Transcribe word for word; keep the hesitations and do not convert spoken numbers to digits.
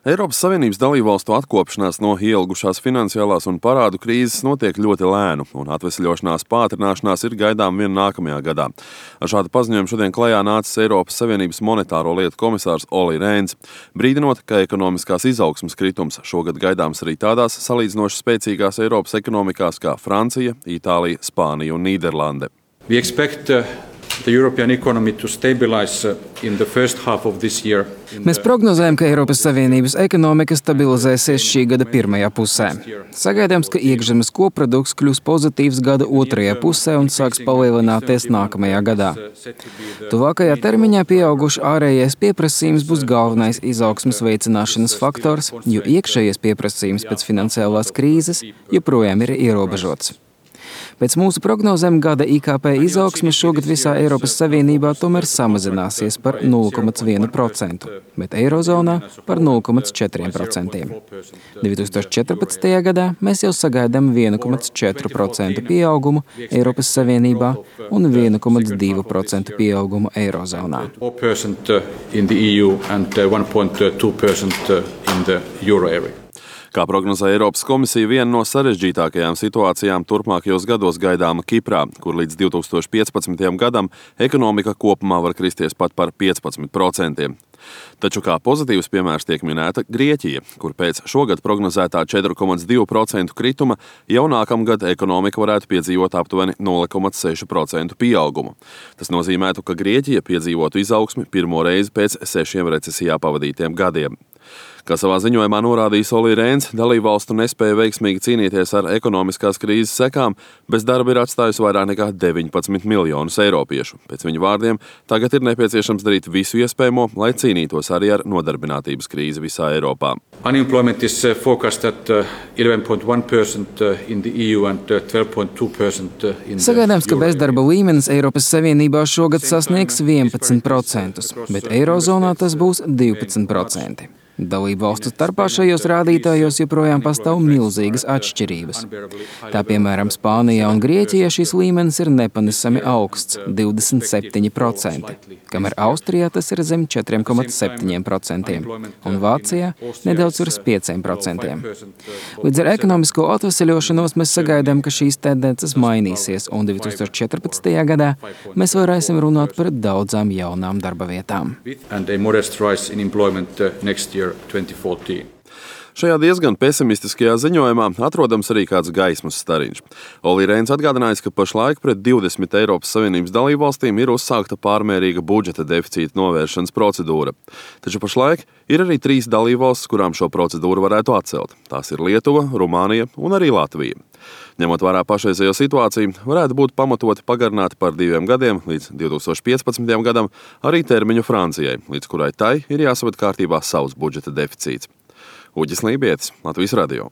Eiropas Savienības dalībvalstu atkopšanās no ielgušās finansiālās un parādu krīzes notiek ļoti lēnu, un atvesļošanās pātrināšanās ir gaidām vien nākamajā gadā. Ar šādu paziņojumu šodien klajā nācis Eiropas Savienības monetāro lietu komisārs Olli Rehns, brīdinot, ka ekonomiskās izaugsmes kritums šogad gaidāms arī tādās salīdzinoši spēcīgās Eiropas ekonomikās kā Francija, Itālija, Spānija un Nīderlande. We expect uh, the European economy to stabilize uh, in the first half of this year. Mēs prognozējam, ka Eiropas Savienības ekonomika stabilizēsies šī gada pirmajā pusē. Sagaidāms, ka iekšzemes koprodukts kļūs pozitīvs gada otrajā pusē un sāks palielināties nākamajā gadā. Tuvākajā termiņā pieauguši ārējais pieprasījums būs galvenais izaugsmes veicināšanas faktors, jo iekšējais pieprasījums pēc finansiālās krīzes joprojām ir ierobežots. Pēc mūsu prognozēm gada I K P izaugsme šogad visā Eiropas Savienībā tomēr samazināsies par nulle komats vienu procentu, bet Eirozonā par nulle komats četri procenti. divi tūkstoši četrpadsmitajā gadā mēs jau sagaidām vienu komats četru procentu pieaugumu Eiropas Savienībā un vienu komats divu procentu pieaugumu Eirozonā. Kā prognozē Eiropas komisija, viena no sarežģītākajām situācijām turpmākajos gados gaidāma Kiprā, kur līdz divi tūkstoši piecpadsmitajam gadam ekonomika kopumā var kristies pat par piecpadsmit procentiem. Taču kā pozitīvs piemērs tiek minēta Grieķija, kur pēc šogad prognozētā četri komats divi procenti krituma jau nākamgad ekonomika varētu piedzīvot aptuveni nulle komats seši procenti pieaugumu. Tas nozīmētu, ka Grieķija piedzīvotu izaugsmi pirmo reizi pēc sešiem recesijā pavadītiem gadiem. Kā savā ziņojumā norādījis Olli Rehns, dalībvalstu nespēja veiksmīgi cīnīties ar ekonomiskās krīzes sekām, bez darba ir atstājusi vairāk nekā deviņpadsmit miljonus eiropiešu. Pēc viņa vārdiem, tagad ir nepieciešams darīt visu iespējamo, lai cīnītos arī ar nodarbinātības krīzi visā Eiropā. Unemployment is forecast at eleven point one percent in the E U and twelve point two percent in the Sagaidāms, ka bezdarba līmenis Eiropas Savienībā šogad sasniegs vienpadsmit procentus, bet Eirozonā tas būs divpadsmit procenti. Dalību valstu starpā šajos rādītājos joprojām pastāv milzīgas atšķirības. Tā piemēram Spānijā un Grieķijā šis līmenis ir nepanesami augsts – divdesmit septiņi procenti, kamēr Austrijā tas ir zem četri komats septiņi procenti un Vācijā nedaudz virs pieci procenti. Līdz ar ekonomisko atveseļošanos mēs sagaidām, ka šīs tendences mainīsies, un divi tūkstoši četrpadsmitajā gadā mēs varēsim runāt par daudzām jaunām darba vietām. Šajā diezgan pesimistiskajā ziņojumā atrodams arī kāds gaismas stariņš. Olli Rehns atgādinājis, ka pašlaik pret divdesmit Eiropas Savienības dalībvalstīm ir uzsākta pārmērīga budžeta deficīta novēršanas procedūra. Taču pašlaik ir arī trīs dalībvalstis, kurām šo procedūru varētu atcelt. Tās ir Lietuva, Rumānija un arī Latvija. Ņemot vērā pašreizējo situāciju, varētu būt pamatoti pagarināt par diviem gadiem līdz divi tūkstoši piecpadsmitajam gadam arī termiņu Francijai, līdz kurai tai ir jāsaved kārtībā savs budžeta deficīts. Uģis Lībietis, Latvijas radio.